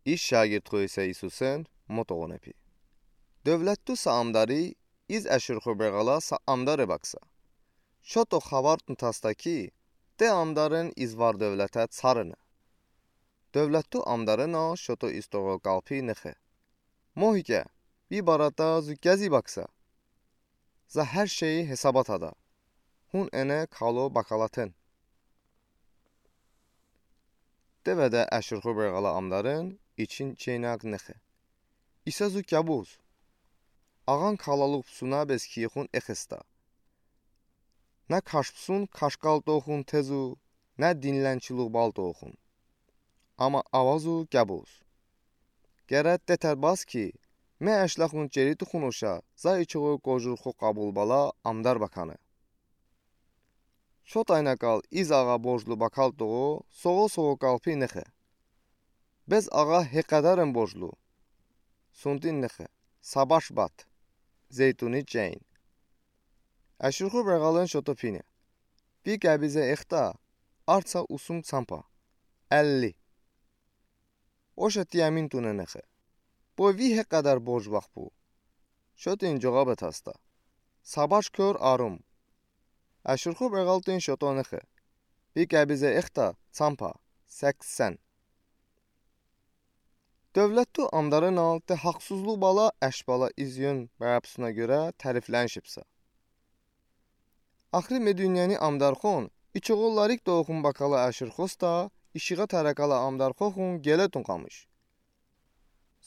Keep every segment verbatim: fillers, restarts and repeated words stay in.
Из шаьгирдхой исе Исусэн мо тоғоне пи. Дөвлетту са амдари из Эширхо Биргала са амдаре бакса. Шото хавартн таста ки, те амдарин из вар дөвлете царыне. Дөвлетту амдаринал шото из тоғол калпи нехе. Мо икя, ви барата зу кязи бакса. За хер шейи хесаба тада. Хун эне кало бакалатен. Деведе Эширхо Биргала амдарин ичин чейнаг нехе. Исе зу кябуз. Аған калалуғ псуна бес киехун эхеста. На кашпсун кашкал тоғун тезу, на динленчилуғ бал тоғун. Ама авазу кябуз. Герет детер бас ки, ме эшлахун чери тухун оша, за ичоғо кожурхо қабул бала амдар баканы. Шотайна кал из аға божлу бакал тоғо, соғо-соғо калпи нехе. Без аға хеқадарен божлу. Сунтин нехе, сабаш бат. Зейтуни чейн. Эширхо Биргалын шото пине. Пи кябизе эхта, арца усум цампа. Элли. Оша тиямин туне нехе. Бо ви хеқадар бож бах бу. Шотин жоғаб этаста. Сабаш кёр арум. Эширхо Биргалтин шото нехе. Пи кябизе эхта цампа. Сексен. Дөвлетту амдаринал те хақсузлу бала эш бала из йөн барапсуна гёре тарифленшипса. Ахри ме дуняни амдархон, ичоғо ларик тоғун бакала Эширхоста, ишиға таракала амдархохун гелетун қамыш.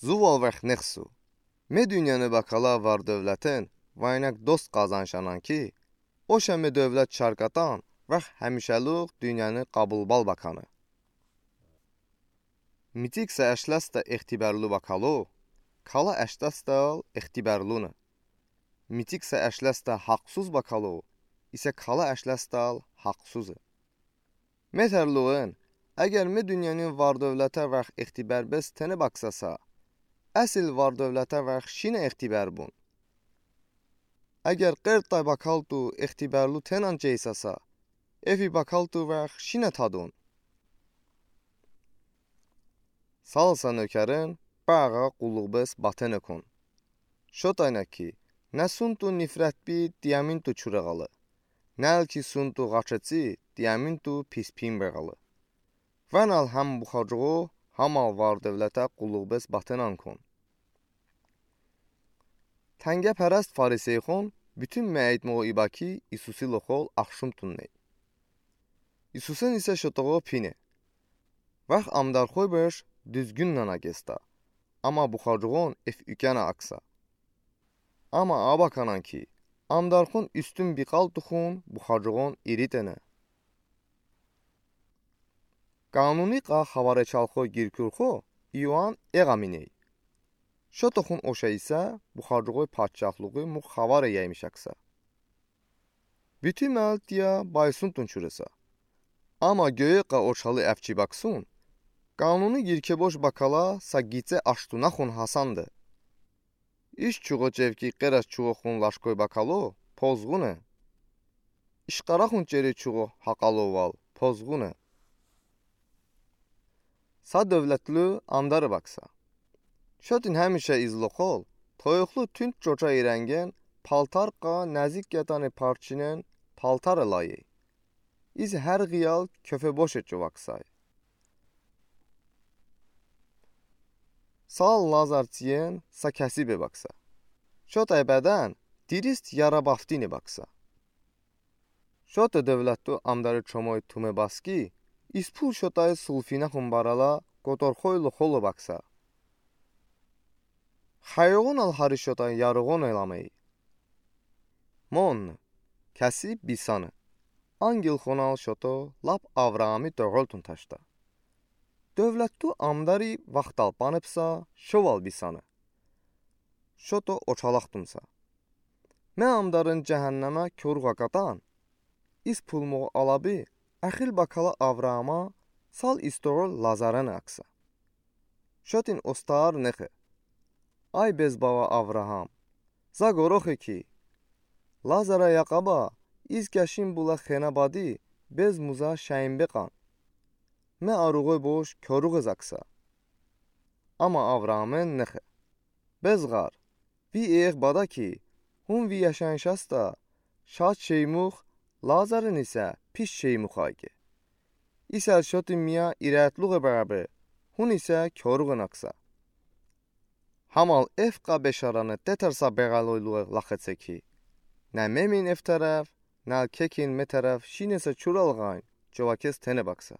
Зувал варх нехсу. Ме дуняни бакала вар дөвлетен, вайнак дост қазаншанан ки, оша ме дөвлет шаркатан, варх хемишалуғ дуняни қабул бал баканы. Митик са эшлеста ихтибарлу бакало, кала эшлестал ихтибарлуна. Митик са эшлеста хақсуз бакало, исе кала эшлестал хақсузы. Ме тарлуғын, эгер ме дуняни вар дөвлете варх ихтибар бес тене баксаса, эсил вар дөвлете варх шина ихтибар бун. Эгер қерттай бакалту ихтибарлу тенан чейсаса, эфи бакалту варх шина тадун. Салса нокерен, ба аға қуллуғ бес батене кун. Шотайна ки, на сунту нифрет би тияминту чурағалы. На эл ки сунту ғачеци тияминту писпин беғалы. Ванал хам бухаҷуғу, хамал вар девлета қуллуғ бес батенан кун. Тангияперест фарисейхон бютюн меайтмоғу иба ки Исуси лохол ахшум тунней. Исусын исе шотоғо пине. Вах амдархой беш дүзгюн нана геста, ама бухаҷуғон эф ӱкена акса. Ама аба канан ки, амдархон ӱстюн биқал тухун бухаҷуғон иритене. Кануни қа хаваречалхо гиркюрхо Иоанн эға миней. Шотохун оша исе бухаҷуғой паччахлуғи мух хаваре яймиш акса. Бютюн меал тия байсунтун чуреса. Ама гёйе қа очалы эфчи баксун, кануни гиркебош бакала са гице аштунахун хасанды. Иш чуғо чевки қерас чуғохун лашкой бакало, позғуне. Ишқарахун чери чуғо хақало вал, позғуне. Са девлетлю амдары бакса. Шотин хамиша излохол, тойохлу тюнт чоча иренген, палтар қа нәзик ятани парчинен палтары лайи. Из хар ғиял кёфе боше чуваксай. Сал Лазар циен са кяси бе бакса. Шотай бедан дирист яра бафтини бакса. Шота девлетту амдары чомой туме баски, испул шотай сулфина хумбарала котор хойлу холу бакса. Хайоғун ал хари шотай яруғун эламей. Мон, кяси бисаны. Ангел хонал шото лап Авраами тоғолтун ташта. Девлетту амдари вахтал панепса шовал бисаны. Шото очалахтунса. Ме амдарын жаһаннама кёруға катан. Испулмоғ алаби, ахил бакала Авраама сал истоғол Лазарен акса. Шотин остаар нехе. Ай без бава Авраам. За горохе ки. Лазара яқаба, из кяшин була хена бади, без муза шаин беқан. Ме аруғой бош кёруғез акса. Ama Avraamın nıxı: Bezğar, vi ex bada ki, hun vi yaşayışastı şad şeymux, Lazarin isə pis şeymux ayki. İsel şotin miya irətluğe bərabər, hun isə koruğ ınaksa. Hamal efqa beşarani tetarsa beğəloyluğe laqetse ki, nə memin eftərəf, nə kekin metərəf şinəsə çuralğayn, covakes tene baksa.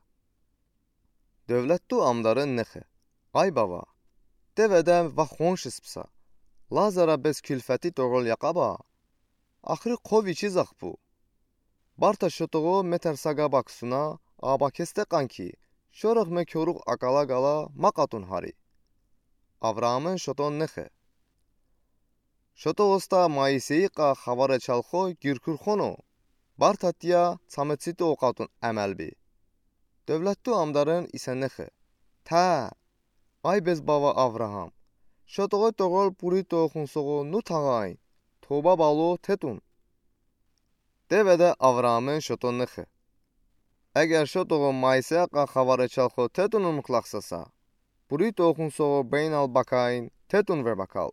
Dövlətdu amdarın nıxı: Ay bava, devedəm va xonşispsa, Lazara bez kilfəti toğrol yaqaba, axri qo viçi zaqbu. Barta şotoğo metarsaqa baksuna, abakeste qanki, şorıxme koruğ aqala qala maqatun hari. Avraamın şoton nıxı: Şotoğosta Moiseyiqa xavare çalxo girkurxono, barta tiya çametsito oqatun əməlbi. Dövlətdu amdarın isə nıxı: Tə, ay bez bava Avraam, şotoğo toğrol burito xunsoğo nu tağayn, toba balo tetun. Devedə Avraamın şoton nıxı: Əgər şotoğo Moiseyiqa xavare çalxo tetunun mıqlaqsasa, burito xunsoğo beynal bakayn tetun ver bakal.